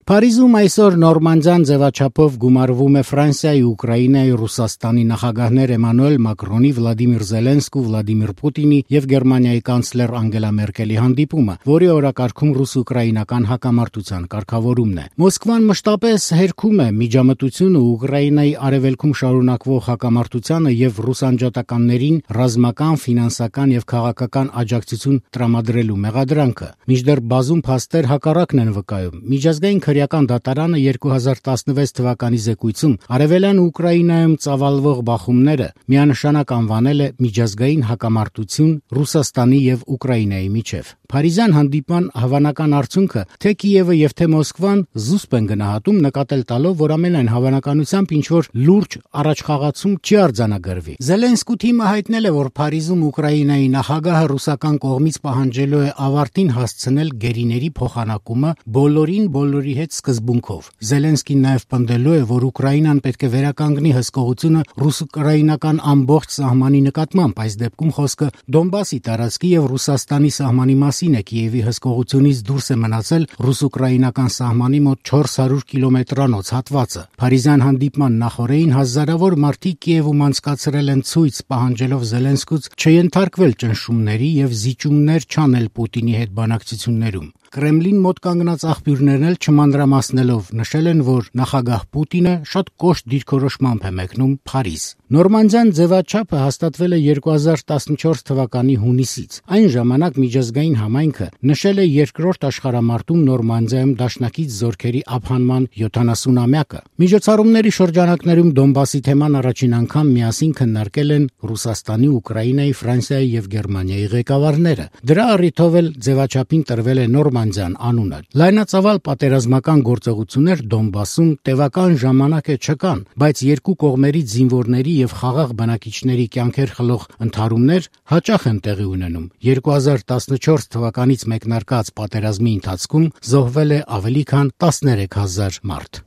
Փարիզում այսօր նորմանդյան ձևաչափով գումարվում է Ֆրանսիայի, Ուկրաինայի, Ռուսաստանի նախագահներ Էմանուել Մակրոնի, Վլադիմիր Զելենսկու, Վլադիմիր Պուտինի եւ Գերմանիայի կանցլեր Անգելա Մերկելի հանդիպումը, որի օրակարգում ռուս-ուկրաինական հակամարտության կարգավորումն է։ Մոսկվան մշտապես հերքում է միջամտությունը Ուկրաինայի արևելքում շարունակվող հակամարտությանը եւ ռուսանջատականներին ռազմական, ֆինանսական եւ քաղաքական աջակցություն տրամադրելու մեղադրանքը։ Մինչդեռ բազում փաստեր հակառակն են վկայում։ Միջազգային քրեական դատարանը 2016 թվականի զեկույցում արևելյան Ուկրաինայում ծավալվող բախումները միանշանակ անվանել է միջազգային հակամարտություն Ռուսաստանի եւ Ուկրաինայի միջև։ Փարիզյան հանդիպման հավանական արդյունքը թե Կիևը եւ թե Մոսկվան զուսպ են գնահատում, նկատել տալով, որ ամենայն հավանականությամբ ինչ-որ լուրջ առաջխաղացում չի արձանագրվի։ Զելենսկու թիմը հայտնել է, որ Փարիզում Ուկրաինայի նախագահը ռուսական կողմից պահանջելու է ավարտին հասցնել գերիների փոխանակումը բոլորի հետ սկզբունքով։ Զելենսկին նաև պնդելու է, որ Ուկրաինան պետք է վերականգնի հսկողությունը ռուս-ուկրաինական ամբողջ սահմանի նկատմամբ, այս դեպքում խոսքը Դոնբասի տարածքի եւ Ռուսաստանի սահմանի մասին է։ Կիևի հսկողությունից դուրս է մնացել ռուս-ուկրաինական սահմանի մոտ 400 կիլոմետրանոց հատվածը։ Փարիզյան հանդիպման նախօրեին հազարավոր մարդիկ Կիևում անցկացրել են ցույց, պահանջելով Զելենսկուց չենթարկվել ճնշումների եւ զիջումներ չանել Պուտինի հետ բանակցություններում։ Կրեմլին մոտ կանգնած աղբյուրներն էլ չմանրամասնելով նշել են, որ նախագահ Պուտինը շատ կոշտ դիրքորոշմամբ է մեկնում Փարիզ։ Նորմանդյան ձևաչափը հաստատվել է 2014 թվականի հունիսից։ Այն ժամանակ միջազգային համայնքը նշել է երկրորդ աշխարհամարտում Նորմանդիայում դաշնակից զորքերի ափանման 70-ամյակը։ Միջոցառումների շրջանակներում Դոնբասի թեման առաջին անգամ միասին քննարկել են Ռուսաստանի, Ուկրաինայի, Ֆրանսիայի եւ Գերմանիայի ղեկավարները։ Դրա առիթով էլ ձևաչափին տրվել է Նորմանդյան անունը։ Լայնածավալ պատերազմական գործողություններ Դոնբասում տևական ժամանակ է չկան, բայց երկու կողմերից զինվորների եւ խաղաղ բնակիչների կյանքեր խլող ընդհարումներ հաճախ են տեղի ունենում։ 2014 թվականից մեկնարկած պատերազմի ընթացքում զոհվել է ավելի քան 13,000 մարդ։